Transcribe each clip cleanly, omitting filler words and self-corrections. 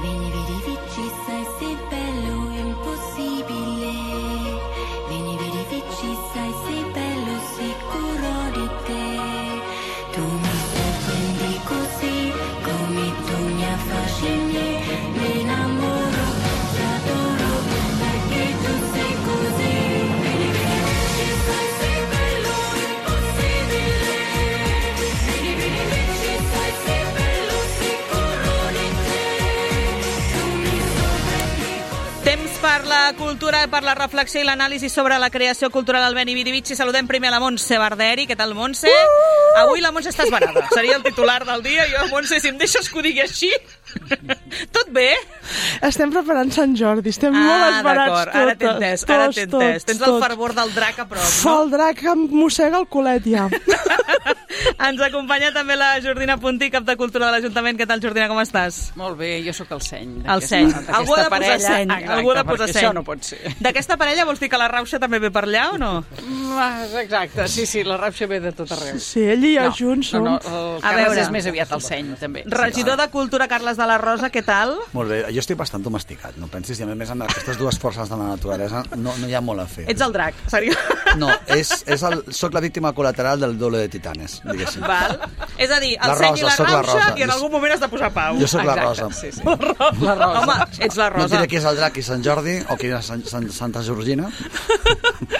Vieni, vedi, vici, sai, sei bello, impossibile. Vieni, vedi, vici, sai, sei bello, sicuro di te. Tu mi sorprendi così, come tu mi affascini. Mi innamoro, ti adoro, perché tu sei così. Vieni, vedi, vici, sai, sei bello, impossibile. Vieni, vedi, vici, sai, sei bello, sicuro di te. Tu mi sorprendi così. Temps per la cultura, per la reflexió i l'anàlisi sobre la creació cultural al Beni Vidi Vici. Saludem primer a la Montse Barderi. Què tal, Montse? Avui la Montse està esbarada. Seria el titular del dia. Jo, Montse, si em deixes que ho digui així... Tot bé? Estem preparant Sant Jordi, estem molt esbarats d'acord, ara t'he entès, ara t'he entès. Tens el fervor del drac a prop, no? El drac em mossega el culet, ja. Ens acompanya també la Jordina Puntí, cap de Cultura de l'Ajuntament. Què tal, Jordina, com estàs? Molt bé, jo sóc el seny. El seny. Algú ha de posar seny. Algú ha de posar seny. Això no pot ser. D'aquesta parella vols dir que la Rauxa també ve per allà o no? Exacte, sí, la Rauxa ve de tot arreu. Sí, ell i jo junts som. No, el Carles és més aviat el seny, també. Regidor de Cultura, Carles de la Rosa, què tal? Molt bé, jo estic bastant domesticat, no pensis, i a més amb aquestes dues forces de la naturalesa no hi ha molt a fer. Ets el drac, seriós? No, soc la víctima col·lateral del doble de Titanes, diguéssim. Val. És a dir, el seny i la Rauxa, i en algun moment has de posar pau. Jo sóc la Rosa. Sí. La Rosa. Home, ets la Rosa. No et diré qui és el drac i Sant Jordi, o qui és Santa Georgina.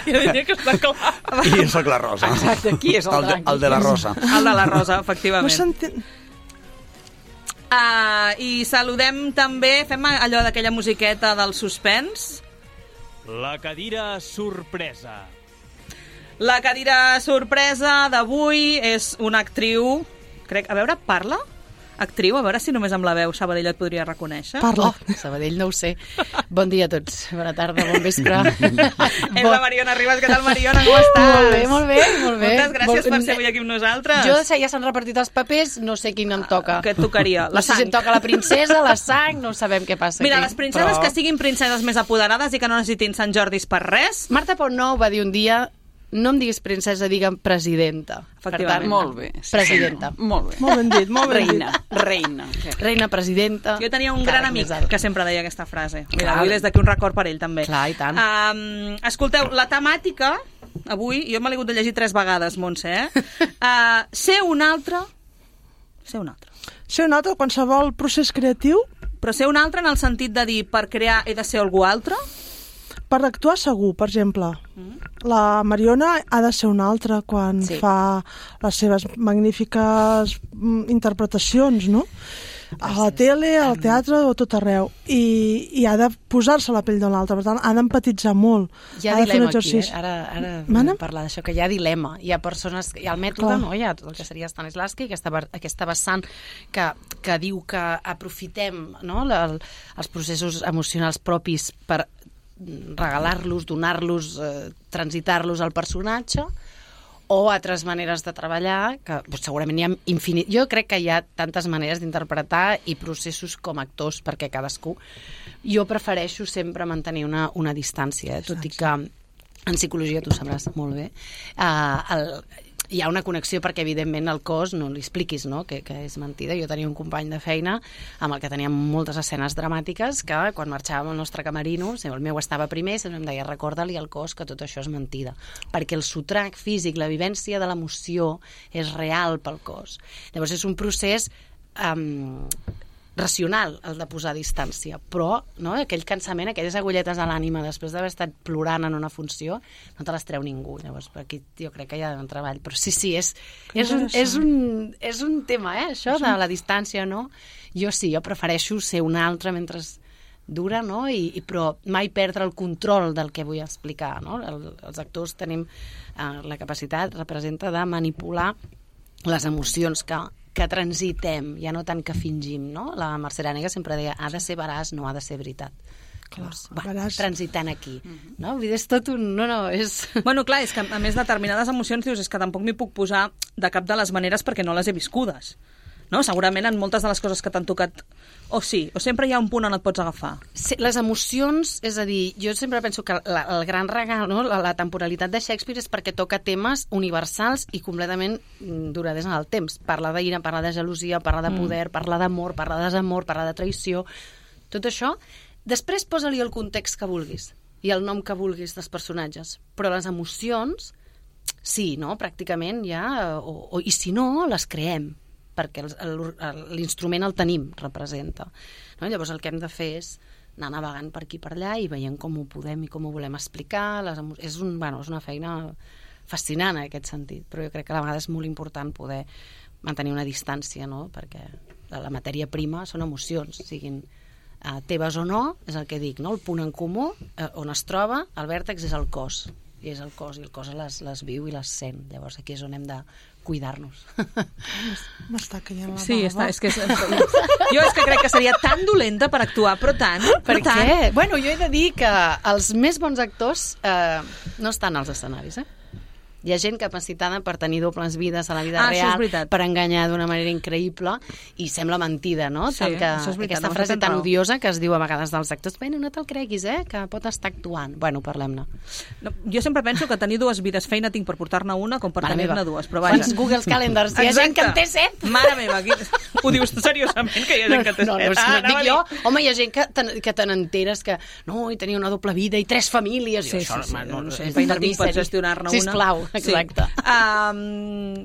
Jo diria que està clar. I jo sóc la Rosa. Exacte, qui és el drac? El de la Rosa. El de la Rosa, efectivament. No s'entén... I saludem també, fem allò d'aquella musiqueta del suspens. La cadira sorpresa. La cadira sorpresa d'avui és una actriu, crec, a veure, parla? Actriu, a veure si només amb la veu Sabadell et podria reconèixer. Parla. Sabadell no ho sé. Bon dia a tots. Bona tarda, bon vespre. És la Mariona Ribas. Què tal, Mariona? Com estàs? Molt bé. Moltes gràcies per ser avui aquí amb nosaltres. Jo ja s'han repartit els papers, no sé quin em toca. Què et tocaria? La No sé si sang. em toca la princesa, la sang, no sabem què passa Mira, aquí. les princeses que siguin princeses més apoderades i que no necessitin Sant Jordis per res. Marta Portnou va dir un dia: no em diguis princesa, digue'm presidenta. Efectivament. Molt bé. Presidenta. Molt bé. Molt ben dit, molt ben dit. Reina. Reina, presidenta. Jo tenia un gran amic que sempre deia aquesta frase. Mira, Clar. avui des d'aquí un record per ell, també. Clar, i tant. Escolteu, la temàtica, avui, jo me l'he hagut de llegir 3 vegades, Montse, ser un altre... Ser un altre. Ser un altre, qualsevol procés creatiu, Però ser un altre en el sentit de dir, per crear he de ser algú altre? per actuar segur, per exemple. La Mariona ha de ser una altra quan Sí. fa les seves magnífiques interpretacions, no? A la tele, al teatre o tot arreu. I ha de posar-se a la pell de l'altre, per tant, ha d'empatitzar molt. Hi ha Ha de fer un dilema aquí, exercici. Ara Mana? parlar d'això, que hi ha dilema. Hi ha persones, hi ha el mètode, Clar. no? Hi ha tot el que seria Stanislavski, aquesta vessant que diu que aprofitem, no? Els processos emocionals propis per regalar-los, donar-los, transitar-los al personatge, o altres maneres de treballar, que segurament hi ha infinit... Jo crec que hi ha tantes maneres d'interpretar i processos com actors, perquè cadascú... Jo prefereixo sempre mantenir una distància, tot i que en psicologia tu sabràs molt bé. Hi ha una connexió perquè, evidentment, el cos no li expliquis, no? que és mentida. Jo tenia un company de feina amb el que teníem moltes escenes dramàtiques que, quan marxàvem al nostre camerino, el meu estava primer, sempre em deia, recorda-li al cos que tot això és mentida. Perquè el sotrac físic, la vivència de l'emoció, és real pel cos. Llavors, és un procés racional, el de posar distància, però no, aquell cansament, aquelles agulletes a l'ànima després d'haver estat plorant en una funció, no te les treu ningú. Llavors, per aquí jo crec que hi ha un treball. Però sí, és un tema, això de la distància, no? Jo prefereixo ser un altre mentre dura, no? Però mai perdre el control del que vull explicar, no? Els actors tenim la capacitat, representa, de manipular les emocions que transitem, ja no tant que fingim, no? La Mercè Arànega sempre deia, ha de ser veraç, no ha de ser veritat. Clar, Llavors, transitant aquí. No? Vull dir, és tot un... No, és... Bueno, clar, és que a més determinades emocions dius, és que tampoc m'hi puc posar de cap de les maneres perquè no les he viscudes. No? Segurament en moltes de les coses que t'han tocat o sempre hi ha un punt on et pots agafar. Sí, les emocions, és a dir, jo sempre penso que el gran regal, no? la temporalitat de Shakespeare és perquè toca temes universals i completament duraders en el temps. Parla d'ira, parla de gelosia, parla de poder, parla d'amor, parla de desamor, parla de traïció. Tot això, després posa-li el context que vulguis i el nom que vulguis dels personatges, però les emocions, sí, no? Pràcticament ja, i si no, les creem, perquè l'instrument el tenim, representa. No? Llavors el que hem de fer és anar navegant per aquí per allà i veient com ho podem i com ho volem explicar. És una feina fascinant en aquest sentit, però jo crec que a la vegada és molt important poder mantenir una distància, no? Perquè la matèria prima són emocions, siguin teves o no, és el que dic, no? El punt en comú on es troba, el vèrtex és el cos, i és el cos, i el cos les viu i les sent. Llavors aquí és on hem de cuidar-nos. M'està caient la Sí, bava. Jo és que crec que seria tan dolenta per actuar, però tant. Per què? Bueno, jo he de dir que els més bons actors no estan als escenaris, Hi ha gent capacitada per tenir dobles vides a la vida real, per enganyar d'una manera increïble, i sembla mentida, no? Sí, això és veritat. Aquesta frase tan odiosa que es diu a vegades dels actors, no te'l creguis, que pot estar actuant. Bueno, parlem-ne. No, jo sempre penso que tenir dues vides feina tinc per portar-ne una com per tenir-ne dues, però vaja. Quants Google Calendars? Hi ha gent que en té 7. Mare meva, ho dius seriosament, que hi ha gent que té 7? No, dic jo. Home, hi ha gent que te n'enteres que no, i tenia una doble vida i 3 famílies. Sí, no sé, feina tinc per gestionar-ne una. Sisplau, exacte.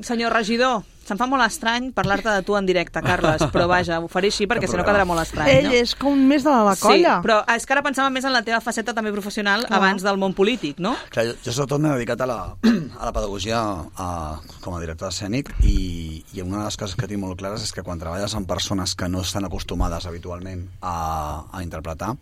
Senyor regidor, se'm fa molt estrany parlar-te de tu en directe, Carles, però vaja, ho faré així perquè si no quedarà molt estrany. Ell és com més de la colla. Sí, però és que ara pensava més en la teva faceta també professional abans del món polític, no? Clar, jo sobretot m'he dedicat a la pedagogia com a director escènic i una de les coses que tinc molt clares és que quan treballes amb persones que no estan acostumades habitualment a interpretar,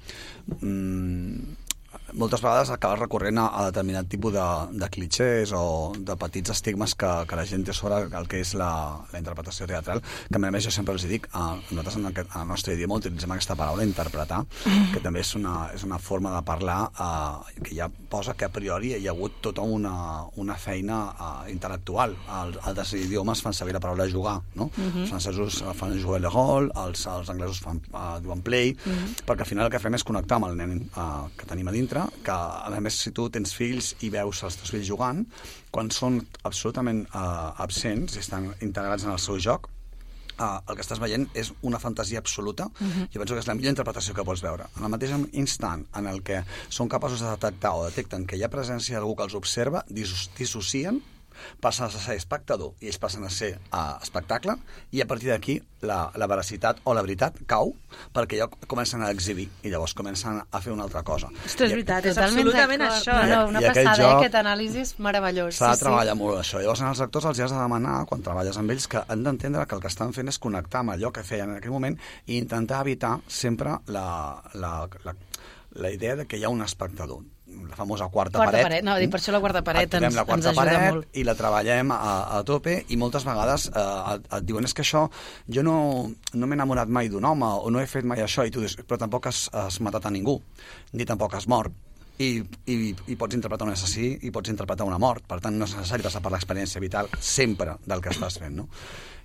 moltes vegades acabes recorrent a determinat tipus de clichés o de petits estigmes que la gent té sobre el que és la interpretació teatral, que a més jo sempre els dic, nosaltres en el nostre idioma utilitzem aquesta paraula, interpretar, que també és una forma de parlar que ja posa que a priori hi ha hagut tota una feina intel·lectual. Altres idiomes fan servir la paraula jugar, no? Els francesos fan jouer le rôle, els anglesos diuen play, perquè al final el que fem és connectar amb el nen que tenim a dintre, que a més si tu tens fills i veus els teus fills jugant, quan són absolutament absents i estan integrats en el seu joc, el que estàs veient és una fantasia absoluta. Jo penso que és la millor interpretació que pots veure. En el mateix instant en el que són capaços de detectar o detecten que hi ha presència d'algú que els observa, dissocien, passen a ser espectador i ells passen a ser espectacle, i a partir d'aquí la veracitat o la veritat cau, perquè ja comencen a exhibir i llavors comencen a fer una altra cosa. Ostres, és veritat, és absolutament això. Una passada, aquest anàlisi és meravellós. S'ha de treballar molt això. Llavors als actors els has de demanar, quan treballes amb ells, que han d'entendre que el que estan fent és connectar amb allò que feien en aquell moment i intentar evitar sempre la idea de que hi ha un espectador. La famosa quarta paret. No, per això la quarta paret ens la quarta ajuda paret molt. I la treballem a tope, i moltes vegades et diuen és que això, jo no m'he enamorat mai d'un home o no he fet mai això, i tu dius, però tampoc has matat a ningú, ni tampoc has mort. I pots interpretar un assassí i pots interpretar una mort. Per tant, no és necessari passar per l'experiència vital sempre del que estàs fent, no?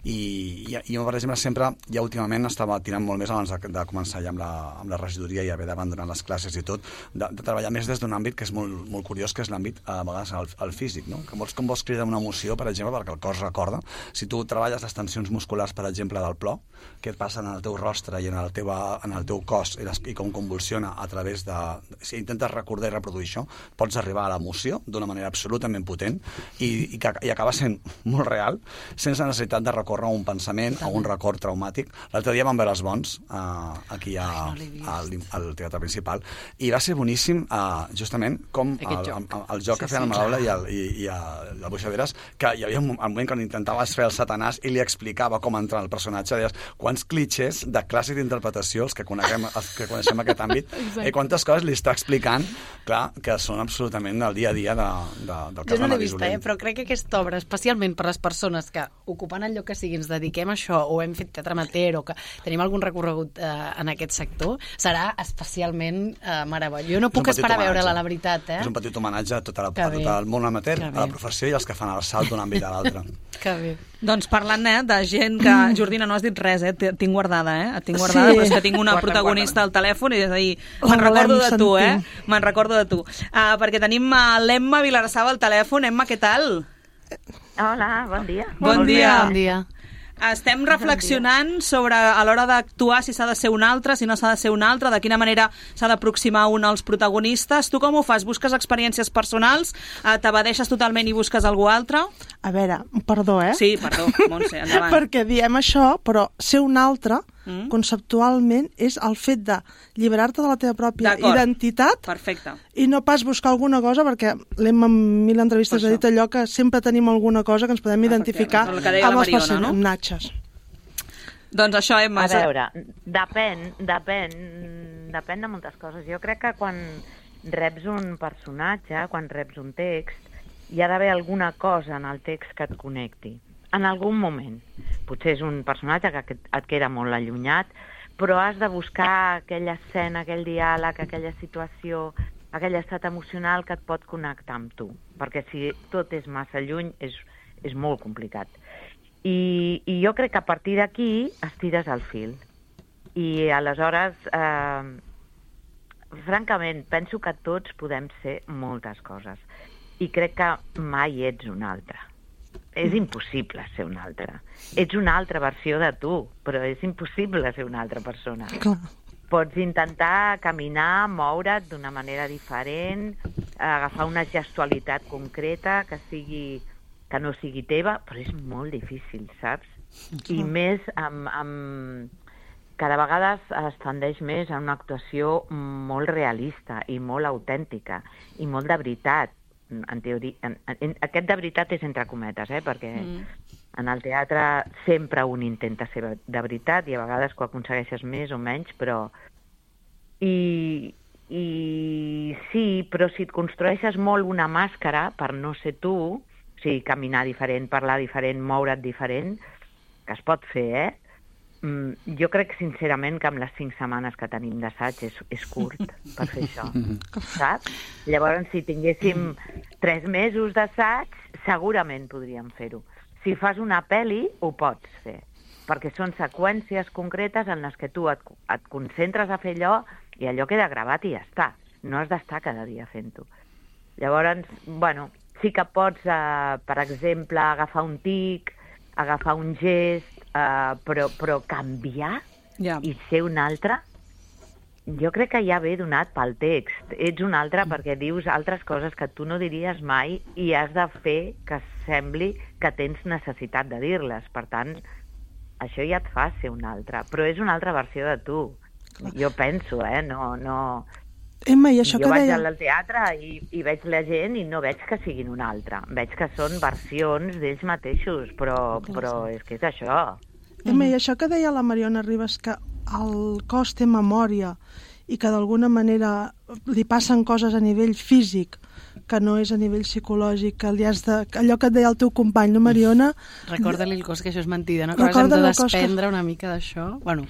I jo, per exemple, sempre, ja últimament estava tirant molt més abans de començar ja amb la regidoria i haver d'abandonar les classes i tot, de treballar més des d'un àmbit que és molt curiós, que és l'àmbit, a vegades, el físic, no? Que com vols cridar una emoció, per exemple, perquè el cos recorda. Si tu treballes les tensions musculars, per exemple, del plor, què et passa en el teu rostre i en el teu cos i com convulsiona a través de... Si intentes recordar i reproduir això, pots arribar a l'emoció d'una manera absolutament potent i acaba sent molt real, sense necessitat de recórrer a un pensament o un record traumàtic. L'altre dia vam veure Els Bons aquí al Teatre Principal i va ser boníssim, justament com el joc que feien el Malaula i el Buixaderes, que hi havia un moment quan intentaves fer el Satanàs i li explicava com entrar el personatge, deies quants clitxers de clàssic d'interpretació els que coneixem aquest àmbit i quantes coses li està explicant, clar, que són absolutament del dia a dia del cas de Maria Solent. Jo no l'he vist, però crec que aquesta obra, especialment per les persones que ocupen el lloc que sigui ens dediquem a això, o hem fet teatre amateur, o que tenim algun recorregut en aquest sector, serà especialment meravellós. Jo no puc esperar a veure-la, la veritat. És un petit homenatge a tot el món amateur, a la professió i als que fan el salt d'un àmbit a l'altre. Que bé. Doncs parlant de gent que... Jordina, no has dit res, et tinc guardada, Et tinc guardada, però és que tinc una protagonista al telèfon i és a dir, me'n recordo de tu, Me'n recordo de tu. Perquè tenim l'Emma Vilarsava al telèfon. Emma, què tal? Hola, bon dia. Bon dia. Estem reflexionant sobre a l'hora d'actuar si s'ha de ser un altre, si no s'ha de ser un altre, de quina manera s'ha d'aproximar un als protagonistes. Tu com ho fas? Busques experiències personals? T'evadeixes totalment i busques algú altre? A veure, perdó, Sí, perdó, Montse, endavant. Perquè diem això, però ser un altre, conceptualment, és el fet de lliberar-te de la teva pròpia identitat. Perfecte. I no pas buscar alguna cosa, perquè l'hem en 1000 entrevistes dit allò que sempre tenim alguna cosa que ens podem identificar amb els personatges. Doncs això, Emma... A veure, depèn de moltes coses. Jo crec que quan reps un personatge, quan reps un text, hi ha d'haver alguna cosa en el text que et connecti. En algun moment. Potser és un personatge que et queda molt allunyat, però has de buscar aquella escena, aquell diàleg, aquella situació, aquell estat emocional que et pot connectar amb tu. Perquè si tot és massa lluny, és molt complicat. I jo crec que a partir d'aquí estires el fil. I aleshores, francament, penso que tots podem ser moltes coses. I crec que mai ets un altre. És impossible ser una altra. Ets una altra versió de tu, però és impossible ser una altra persona. Clar. Pots intentar caminar, moure't d'una manera diferent, agafar una gestualitat concreta que no sigui teva, però és molt difícil, saps? I més cada vegada es tendeix més a una actuació molt realista i molt autèntica i molt de veritat. En teoria, aquest de veritat és entre cometes, perquè en el teatre sempre un intenta ser de veritat i a vegades ho aconsegueixes més o menys, però... I sí, però si et construeixes molt una màscara per no ser tu, o sigui, caminar diferent, parlar diferent, moure't diferent, que es pot fer, jo crec sincerament que amb les 5 setmanes que tenim d'assaig és curt per fer això, saps? Llavors, si tinguéssim 3 mesos d'assaig, segurament podríem fer-ho. Si fas una pel·li, ho pots fer, perquè són seqüències concretes en les que tu et concentres a fer allò i allò queda gravat i ja està. No has d'estar cada dia fent-ho. Llavors, bueno, sí que pots, per exemple, agafar un tic, agafar un gest, però canviar i ser un altre, jo crec que ja ve donat pel text. Ets un altre perquè dius altres coses que tu no diries mai i has de fer que sembli que tens necessitat de dir-les. Per tant, això ja et fa ser un altre, però és una altra versió de tu. Jo penso, no... Emma, i això jo que vaig deia... al teatre i veig la gent i no veig que siguin un altre. Veig que són versions d'ells mateixos, però és que és això. Emma, i això que deia la Mariona Ribas, que el cos té memòria i que d'alguna manera li passen coses a nivell físic que no és a nivell psicològic, que li has de... allò que et deia el teu company, no, Mariona? Recorda-li el cos, que això és mentida, no? Que hem de desprendre una mica d'això. Bueno...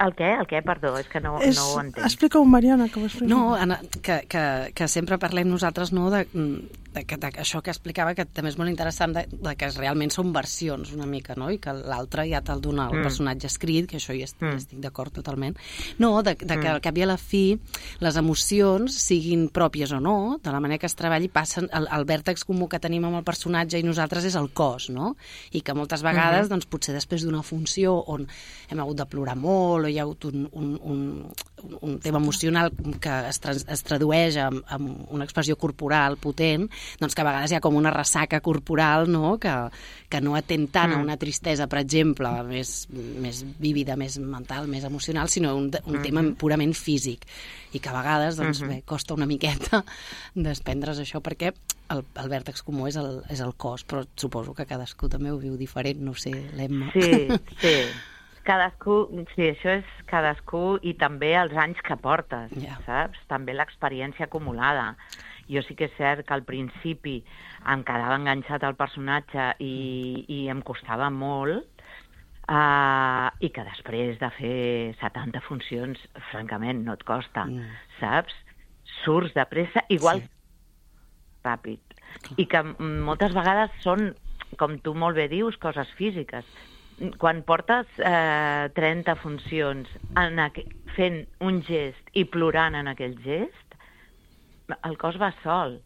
El què? Perdó, és que no ho entenc. Explica-ho, Mariona, que ho explica. No, que sempre parlem nosaltres, no, això que explicava, que també és molt interessant, de que realment són versions una mica, no? I que l'altre ja te'l dona el personatge escrit, que això hi estic d'acord totalment. No, que al cap i a la fi les emocions, siguin pròpies o no, de la manera que es treballi, passen, el vèrtex comú que tenim amb el personatge i nosaltres és el cos, no? I que moltes vegades, doncs, potser després d'una funció on hem hagut de plorar molt o hi ha hagut un tema emocional que es tradueix amb una expressió corporal potent, doncs que a vegades hi ha com una ressaca corporal, no? Que no atén tant a una tristesa, per exemple, més vívida, més mental, més emocional, sinó un tema purament físic. I que a vegades doncs, costa una miqueta desprendre's això, perquè el vèrtex comú és el cos, però suposo que cadascú també ho viu diferent, no ho sé, l'Emma. Sí. Cadascú, sí, això és cadascú i també els anys que portes, saps? També l'experiència acumulada. Jo sí que és cert que al principi em quedava enganxat al personatge i em costava molt, i que després de fer 70 funcions, francament, no et costa, saps? Surts de pressa, igual ràpid. I que moltes vegades són, com tu molt bé dius, coses físiques. Quan portes 30 funcions fent un gest i plorant en aquell gest, el cos va sol.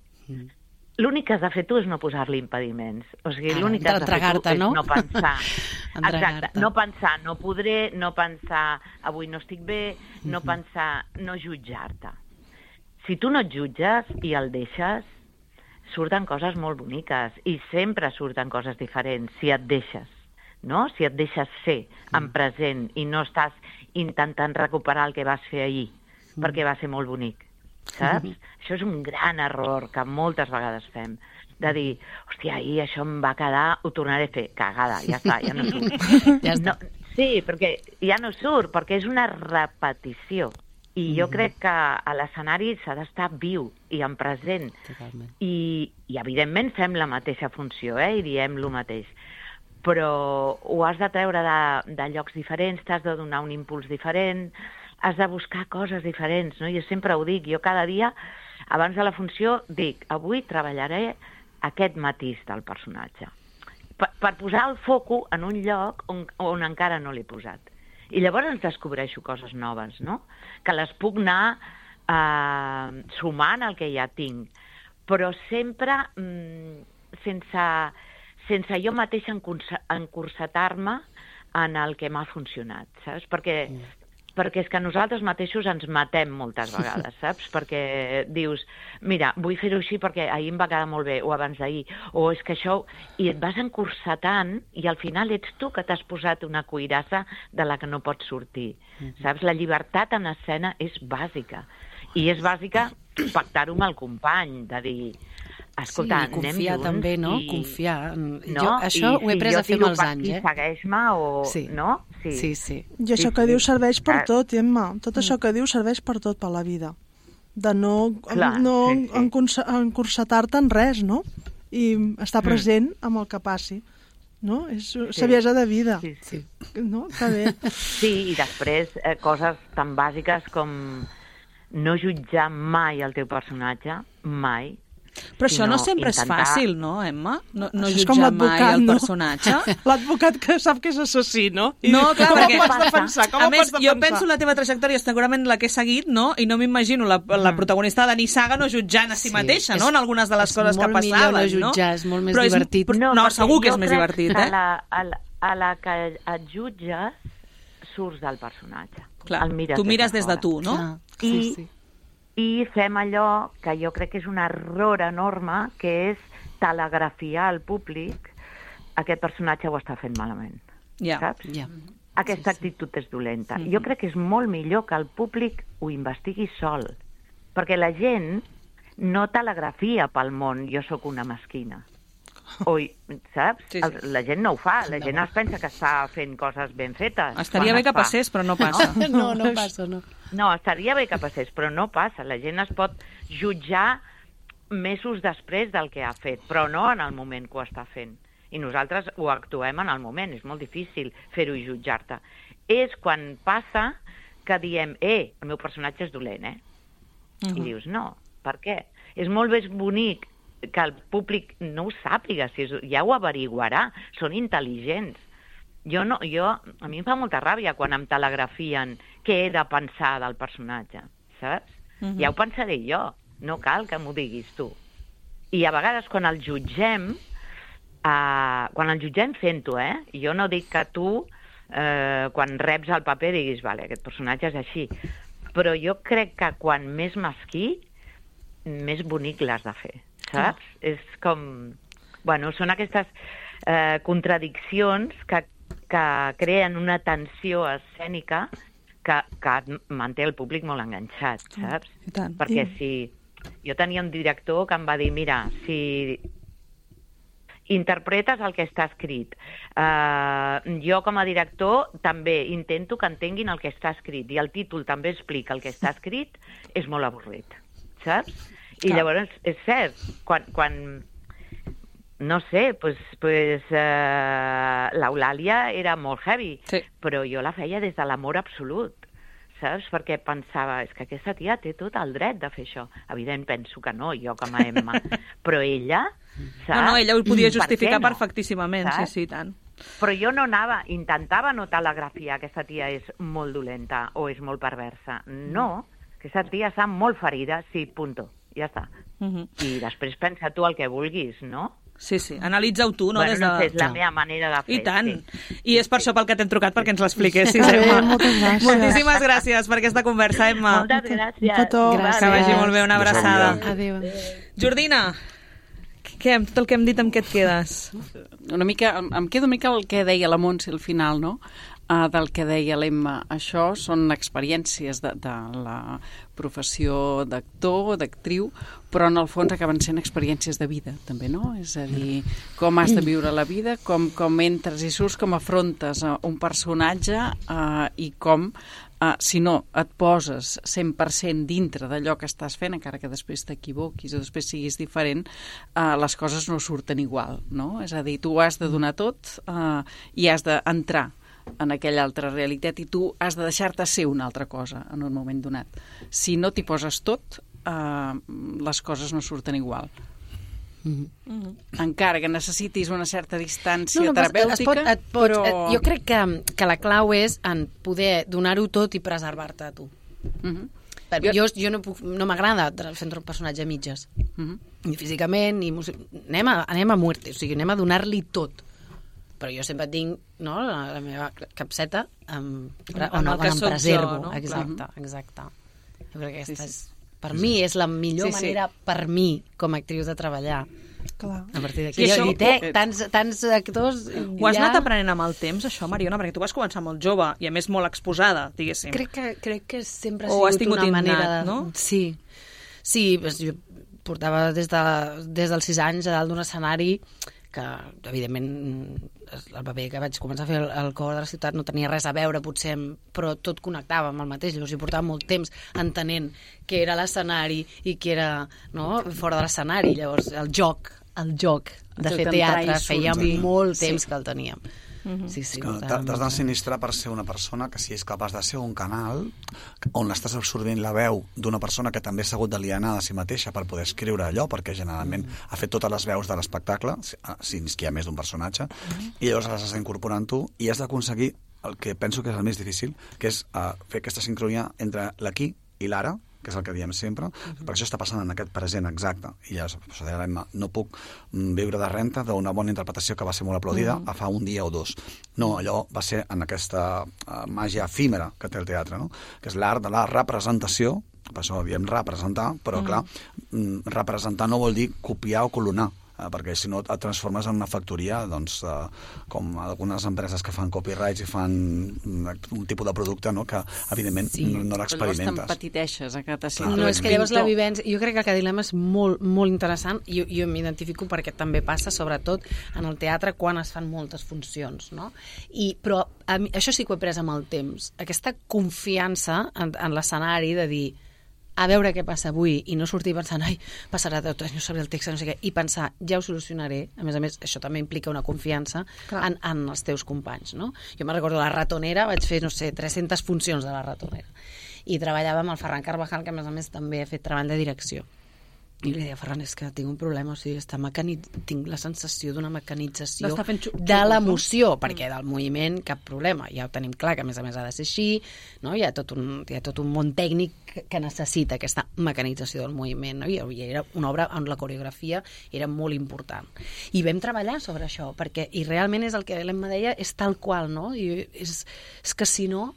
l'únic que has de fer tu és no posar-li impediments. O sigui, l'únic que has de fer tu entregar-te, és no? no pensar. Entregar-te. Exacte, no pensar, no podré, no pensar avui no estic bé, no pensar, no jutjar-te. Si tu no et jutges i el deixes, surten coses molt boniques i sempre surten coses diferents si et deixes, no? Si et deixes ser en present i no estàs intentant recuperar el que vas fer ahir, perquè va ser molt bonic, saps? Això és un gran error que moltes vegades fem, de dir, hòstia, ahir això em va quedar, ho tornaré a fer, cagada, ja està, ja no surt. Ja està. No, sí, perquè ja no surt, perquè és una repetició. I jo crec que a l'escenari s'ha d'estar viu i en present. Totalment. I evidentment fem la mateixa funció, i diem el mateix. Però ho has de treure de llocs diferents, t'has de donar un impuls diferent, has de buscar coses diferents, no? Jo sempre ho dic, jo cada dia, abans de la funció, dic, avui treballaré aquest matís del personatge. Per posar el foco en un lloc on encara no l'he posat. I llavors ens descobreixo coses noves, no? Que les puc anar sumant al que ja tinc, però sempre sense jo mateixa encursetar-me en el que m'ha funcionat, saps? Perquè és que nosaltres mateixos ens matem moltes vegades, saps? Perquè dius, mira, vull fer-ho així perquè ahir em va quedar molt bé, o abans d'ahir, o és que això... I et vas encursetant i al final ets tu que t'has posat una cuirassa de la que no pots sortir, saps? La llibertat en escena és bàsica. I és bàsica pactar-ho amb el company, de dir... Escolta, sí, confiar també, no? Confiar. No? Jo això ho he après a fer amb els anys, segueix-me o... Sí. No? Sí. I això que dius serveix per tot, Emma. Tot això que dius serveix per tot per la vida. De no encursetar-te en res, no? I estar present amb el que passi. No? És saviesa de vida. Sí. No? Que bé. Sí, i després coses tan bàsiques com no jutjar mai el teu personatge, mai. Però això no sempre és fàcil, no, Emma? No jutjar mai el personatge. L'advocat que sap que és assassí, no? No, clar, com perquè... ho pots defensar? A més, jo penso la teva trajectòria, segurament la que he seguit, no? I no m'imagino la protagonista de Dani Saga no jutjant a si mateixa, no? En algunes de les coses que passaven, no? És molt millor no jutjar, és molt més divertit. No, segur que és més divertit, eh? A la que et jutges, surts del personatge. Clar, tu mires des de tu, no? Sí. I fem allò que jo crec que és un error enorme, que és telegrafiar al públic aquest personatge ho està fent malament. Saps? Aquesta actitud és dolenta. Jo crec que és molt millor que el públic ho investigui sol, perquè la gent no telegrafia pel món, jo sóc una mesquina. Saps? Sí. La gent no ho fa, la gent es pensa que està fent coses ben fetes. Estaria bé que passés, però no passa. No passa, no. No, estaria bé que passés, però no passa. La gent es pot jutjar mesos després del que ha fet, però no en el moment que ho està fent. I nosaltres ho actuem en el moment, és molt difícil fer-ho i jutjar-te. És quan passa que diem, el meu personatge és dolent, I dius, no, per què? És molt més bonic que el públic no ho sàpiga, ja ho averiguarà, són intel·ligents. A mi em fa molta ràbia quan em telegrafien què he de pensar del personatge, saps? Ja ho pensaré jo, no cal que m'ho diguis tu. I a vegades quan el jutgem fent-ho, jo no dic que tu, quan reps el paper, diguis, vale, aquest personatge és així, però jo crec que quan més mesquí, més bonic l'has de fer, saps? És com... Bueno, són aquestes contradiccions que creen una tensió escènica que manté el públic molt enganxat, saps? Perquè si... Jo tenia un director que em va dir, mira, si interpretes el que està escrit, jo com a director també intento que entenguin el que està escrit i el títol també explica el que està escrit, és molt avorrit, saps? I llavors, és cert, quan no sé, l'Eulàlia era molt heavy, però jo la feia des de l'amor absolut, saps? Perquè pensava, és que aquesta tia té tot el dret de fer això. Evident, penso que no, jo com a Emma. Però ella, saps? No, ella ho podia justificar perfectíssimament, sí, tant. Però jo no intentava no telegrafiar aquesta tia és molt dolenta o és molt perversa. No, aquesta tia està molt ferida, sí, punto. ja està. Mhm. I després pensa tu el que vulguis, no? Sí, analitza-ho tu, no? Bueno, Des de... no sé, és la meva manera de fer. I tant. Sí. I és per això pel que t'hem trucat, perquè ens l'expliquessis, Bé, Emma. moltes gràcies. Moltíssimes gràcies per aquesta conversa, Emma. Moltes gràcies. Un petó. Gràcies. Que vagi molt bé, una abraçada. Adéu. Jordina, què, amb tot el que hem dit, amb què et quedes? Una mica, em quedo una mica el que deia la Montse al final, no? Del que deia l'Emma. Això són experiències de la professió d'actor, d'actriu, però en el fons acaben sent experiències de vida, també, no? És a dir, com has de viure la vida, com entres i surts, com afrontes un personatge i com, si no et poses 100% dintre d'allò que estàs fent, encara que després t'equivoquis o després siguis diferent, les coses no surten igual, no? És a dir, tu has de donar tot i has d'entrar en aquella altra realitat i tu has de deixar-te ser una altra cosa en un moment donat. Si no t'hi poses tot, les coses no surten igual. Encara que necessitis una certa distància terapèutica, però... Jo crec que la clau és en poder donar-ho tot i preservar-te a tu. Jo no m'agrada fer un personatge a mitges, ni físicament, ni anem a muerte, o sigui, anem a donar-li tot. Però jo sempre tinc, no, la meva capseta on em preservo. No? Exacte. Jo crec que aquesta és, per mi, és la millor manera per mi, com a actriu, de treballar. Clar. A partir d'aquí. Tants actors... Ho has anat aprenent amb el temps, això, Mariona? Perquè tu vas començar molt jove i, a més, molt exposada, diguéssim. Crec que sempre ha sigut una manera... no? Sí, jo portava des dels 6 anys a dalt d'un escenari que, evidentment, el paper que vaig començar a fer al cor de la ciutat no tenia res a veure, potser, però tot connectava amb el mateix. Llavors hi portava molt temps entenent què era l'escenari i què era, no, fora de l'escenari. Llavors el joc de fer teatre feia molt temps que el teníem. Sí, t'has d'ensinistrar per ser una persona que si és capaç de ser un canal on estàs absorbint la veu d'una persona que també s'ha hagut d'alienar de si mateixa per poder escriure allò, perquè generalment ha fet totes les veus de l'espectacle, si és que hi ha més d'un personatge, i llavors les has d'incorporar en tu i has d'aconseguir el que penso que és el més difícil, que és fer aquesta sincronia entre l'aquí i l'ara, que és el que diem sempre, perquè això està passant en aquest present exacte. I llavors, no puc viure de renta d'una bona interpretació que va ser molt aplaudida a fa un dia o dos. No, allò va ser en aquesta màgia efímera que té el teatre, no? Que és l'art de la representació, per això diem representar, però clar, representar no vol dir copiar o clonar, perquè si no et transformes en una factoria, doncs, com algunes empreses que fan copyrights i fan un tipus de producte, no?, que evidentment no l'experimentes. Però llavors t'empetiteixes, que t'assentes. No, és que llavors la vivència... Jo crec que el dilema és molt, molt interessant i jo m'identifico perquè també passa, sobretot, en el teatre quan es fan moltes funcions, no? Però això sí que ho he pres amb el temps. Aquesta confiança en l'escenari de dir a veure què passa avui i no sortir pensant ai, passarà tot, no sabré el text, no sé què, i pensar, ja ho solucionaré. A més, això també implica una confiança en els teus companys, no? Jo me'n recordo la Ratonera, vaig fer, no sé, 300 funcions de la Ratonera i treballava amb el Ferran Carvajal, que a més també ha fet treball de direcció. I li deia, Ferran, és que tinc un problema, o sigui, tinc la sensació d'una mecanització de l'emoció, perquè del moviment cap problema, ja ho tenim clar, que a més ha de ser així, no? Hi ha tot un món tècnic que necessita aquesta mecanització del moviment, no? I era una obra on la coreografia era molt important. I vam treballar sobre això, i realment és el que l'Emma deia, és tal qual, no? I és que si no,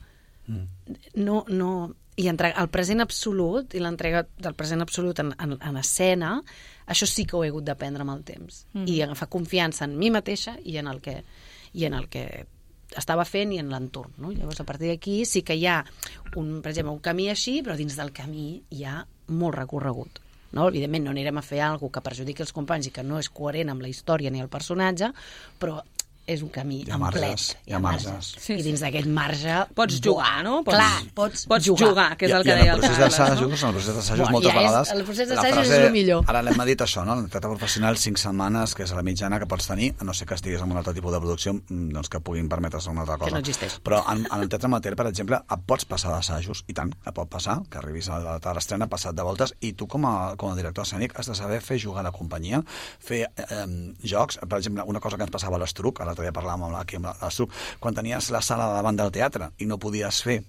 i el present absolut i l'entrega del present absolut en escena, això sí que ho he hagut d'aprendre amb el temps i agafar confiança en mi mateixa i en el que estava fent i en l'entorn, no? Llavors a partir d'aquí sí que hi ha per exemple un camí així, però dins del camí hi ha molt recorregut, no? Evidentment no anirem a fer alguna cosa que perjudiqui els companys i que no és coherent amb la història ni el personatge, però és un camí amplet. Hi ha marges. I dins d'aquest marge... Pots jugar, no? Pots jugar, que és el que deia el Carles. En el procés d'assajos, moltes vegades... El procés d'assajos és el millor. Ara l'hem dit això, no? En el teatre professional, 5 setmanes, que és la mitjana que pots tenir, a no ser que estiguis en un altre tipus de producció, doncs que puguin permetre's una altra cosa. Que no existeix. Però en el teatre amateur, per exemple, et pots passar d'assajos, i tant, et pot passar, que arribis a l'estrena passat de voltes, i tu com a director escènic has de saber fer jugar la companyia, fer jocs. Per exemple, una cosa que ens passava a l'Estruc, a la l'altre dia parlàvem aquí amb l'Astruc, quan tenies la sala davant del teatre i no podies fer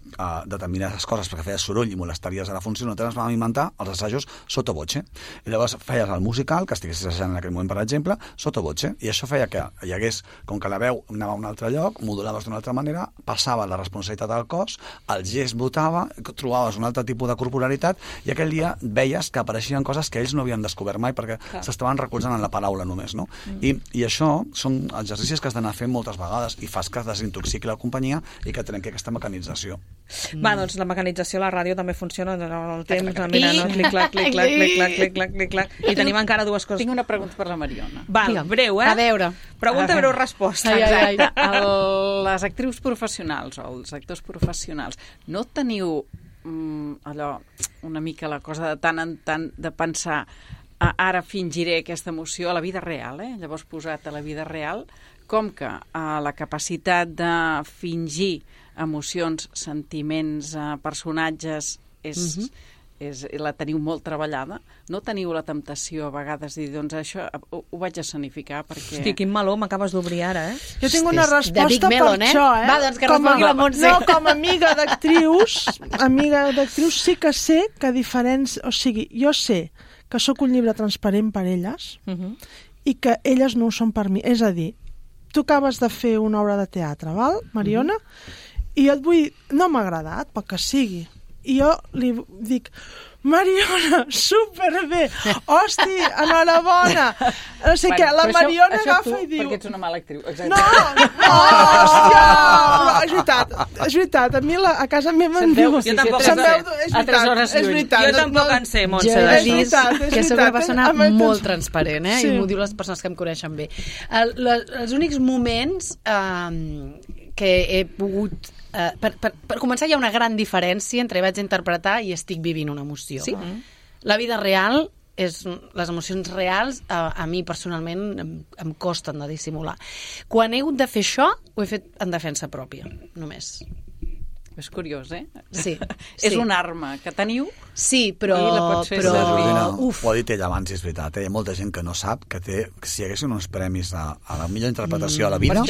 determinades coses perquè feies soroll i molestaries a la funció, nosaltres vam inventar els assajos sotto voce. I llavors feies el musical, que estiguessis assajant en aquell moment, per exemple, sotto voce, i això feia que hi hagués, com que la veu anava a un altre lloc, modulaves d'una altra manera, passava la responsabilitat al cos, el gest votava, trobaves un altre tipus de corporalitat, i aquell dia veies que apareixien coses que ells no havien descobert mai perquè s'estaven recolzant en la paraula només, no? I això són exercicis que has d'anar fent moltes vegades i fas que desintoxiqui la companyia i que trenqui aquesta mecanització. Va, doncs la mecanització a la ràdio també funciona el temps, mira, no? Clic-clac, clic-clac, clic-clac, clic-clac, clic-clac. I tenim encara dues coses. Tinc una pregunta per la Mariona. Val, breu, A veure. Pregunta, breu, resposta. Exacte. Les actrius professionals o els actors professionals, no teniu allò, una mica la cosa de tant en tant de pensar ara fingiré aquesta emoció a la vida real, llavors posat a la vida real, com que la capacitat de fingir emocions, sentiments, personatges la teniu molt treballada, no teniu la temptació a vegades de dir, doncs això ho vaig escenificar perquè... Hosti, quin meló m'acabes d'obrir ara, Jo tinc una resposta per això, Va, doncs que respongui la Montse. No, com a amiga d'actrius sí que sé que o sigui, jo sé que sóc un llibre transparent per elles i que elles no ho són per mi. És a dir, tu acabes de fer una obra de teatre, val, Mariona? I jo et vull... No m'ha agradat, pel que sigui. I jo li dic... Mariona, superbé! Hosti, enhorabona! No sé què, la Mariona agafa i diu... Perquè ets una mala actriu. No, hòstia! És veritat, a mi a casa meva em diu... Jo tampoc en sé. És veritat. Jo tampoc en sé, Montse. Jo he vist que sóc una persona molt transparent, i m'ho diu les persones que em coneixen bé. Els únics moments que he pogut... Per començar, hi ha una gran diferència entre vaig interpretar i estic vivint una emoció. Sí? La vida real, les emocions reals, a mi personalment em costen de dissimular. Quan he hagut de fer això, ho he fet en defensa pròpia, només. És curiós, Sí. És una arma que teniu. Sí, però... I la pots fer servir. Ho ha dit ella abans, és veritat. Hi ha molta gent que no sap que si hi haguessin uns premis a la millor interpretació a la vida,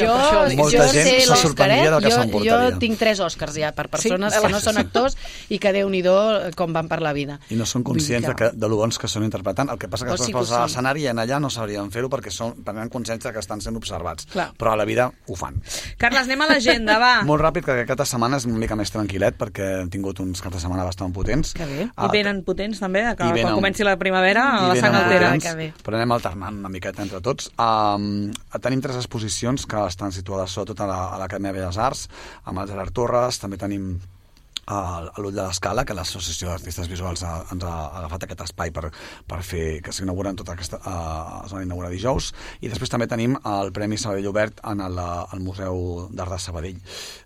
molta gent se sorprendria del que s'emportaria. Jo tinc 3 Oscars ja per persones que no són actors i que Déu-n'hi-do com van per la vida. I no són conscients de lo bons que són interpretant. El que passa que després a l'escenari i allà no sabrien fer-ho perquè prenen consciència que estan sent observats. Però a la vida ho fan. Carles, anem a l'agenda, va. Molt ràpid, que aquesta setmana és una mica més tranquil·let perquè hem tingut uns caps de setmana bastant potents. Que bé. I venen potents també, que quan comenci la primavera la sang altera. Però anem alternant una miqueta entre tots. Tenim 3 exposicions que estan situades sobretot a l'Acadèmia de Belles Arts, amb el Gerard Torres. També tenim a l'Ull de l'Escala, que l'Associació d'Artistes Visuals ens ha agafat aquest espai per fer que s'inauguren tota aquesta... es van inaugurar dijous. I després també tenim el Premi Sabadell Obert al Museu d'Art de Sabadell.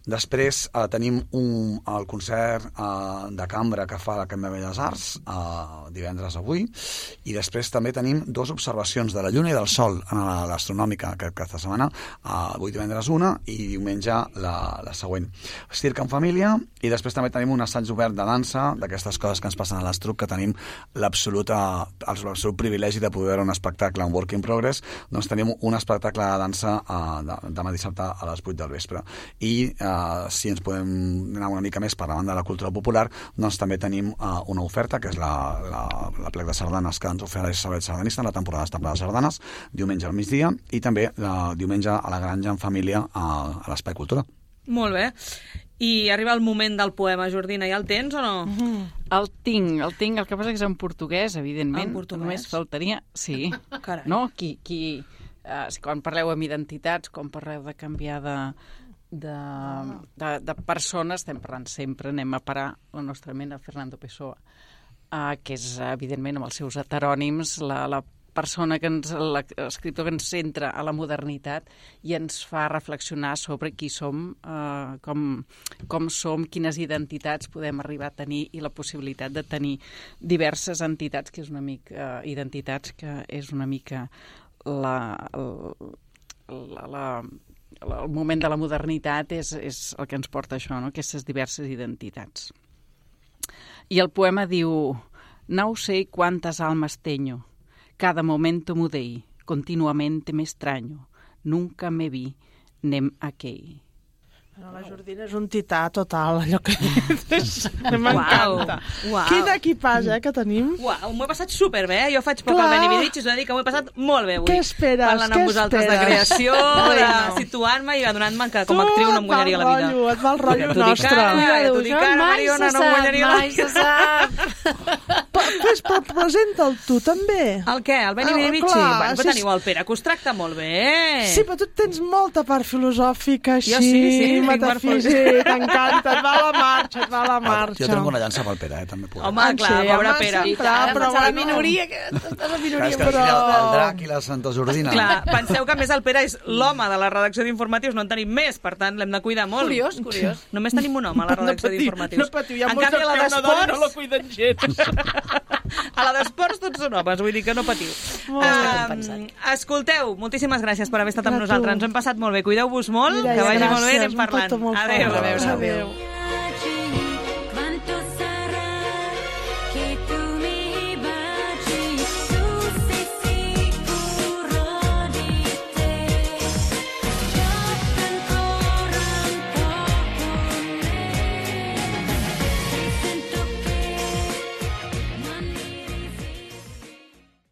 Després tenim el concert de cambra que fa l'Acadèmia de Belles Arts divendres avui, i després també tenim 2 observacions de la Lluna i del Sol a l'Astronòmica aquesta setmana, avui divendres una i diumenge la següent. Circ en família, i després també tenim un assaig obert de dansa, d'aquestes coses que ens passen a l'Astruc, que tenim l'absolut privilegi de poder veure un espectacle en work in progress. Doncs tenim un espectacle de dansa demà dissabte a les 8 del vespre. I si ens podem anar una mica més per la banda de la cultura popular, doncs també tenim una oferta, que és la plec de sardanes que ens ofereix Sabadell Sardanista en la temporada d'Estable de Sardanes, diumenge al migdia, i també diumenge a la Granja en família a l'Espai Cultura. Molt bé. I arriba el moment del poema, Jordina, ja el tens o no? El tinc, el que passa que és en portuguès, evidentment. En portuguès? Només faltaria... Sí. Carai. No? Quan parleu amb identitats, quan parleu de canviar de persones, estem parlant sempre, anem a parar la nostra ment a Fernando Pessoa, que és, evidentment, amb els seus heterònims, la persona l'escriptor que ens centra a la modernitat i ens fa reflexionar sobre qui som, com som, quines identitats podem arribar a tenir i la possibilitat de tenir diverses entitats, que és una mica identitats, que és una mica el moment de la modernitat és el que ens porta a això, no? Aquestes diverses identitats. I el poema diu: «No sé cuántas almas teño. Cada momento mudei, continuamente me extraño. Nunca me vi, anem a Key. Bueno, la Jordina és un tità total, allò que dius. M'encanta. Uau. Quin equipàs, que tenim? Uau, m'ho he passat superbé, Jo faig poc al Beni Vidich i us he de dir que m'ho he passat molt bé avui. Què esperes? Parlant amb vosaltres de creació, de situant-me i adonant-me que com a actriu no em guanyaria la vida. Et va el rotllo Tu nostre. t'ho dic ara, Mariona, no em guanyaria la vida. Mai se sap. Però presenta'l tu, també. El què? El Beni Vidich? clar, Bueno, però teniu el Pere, que us tracta molt bé. Sí, però tu tens molta part filosòfica, així, Jo sí, metafísic, t'encanta, et va a la marxa, et va a la marxa. Jo trenco una llança pel Pere, també puc. Home, clar, pobre Pere. Però la minoria, que estàs a Clar, minoria, és que però- el drac i la Santa Jordina. Clar, penseu que a més el Pere és l'home de la redacció d'informatius, no en tenim més, per tant l'hem de cuidar molt. Curiós. Només tenim un home a la redacció d'informatius. No patiu, hi ha En molts canvi, a la que una dona no la d'esports... cuiden gens. A la d'esports tots són homes, vull dir que no patiu. Escolteu, moltíssimes gràcies per haver estat amb A tu. nosaltres. Ens ho hem passat molt bé. Cuideu-vos molt, Mireia, que vagi molt bé i gràcies, anem un parlant. petó molt fort. Adéu. Adéu.